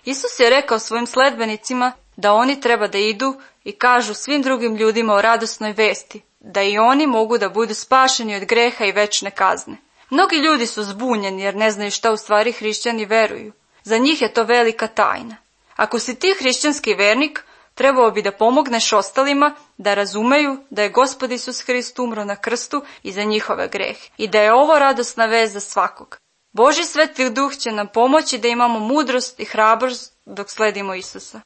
Isus je rekao svojim sledbenicima da oni treba da idu i kažu svim drugim ljudima o radosnoj vesti, da i oni mogu da budu spašeni od greha i večne kazne. Mnogi ljudi su zbunjeni jer ne znaju šta u stvari hrišćani veruju. Za njih je to velika tajna. Ako si ti hrišćanski vernik, trebao bi da pomogneš ostalima da razumeju da je Gospod Isus Hrist umro na krstu i za njihove grehe i da je ovo radosna vest za svakog. Božji Sveti Duh će nam pomoći da imamo mudrost i hrabrost dok sledimo Isusa.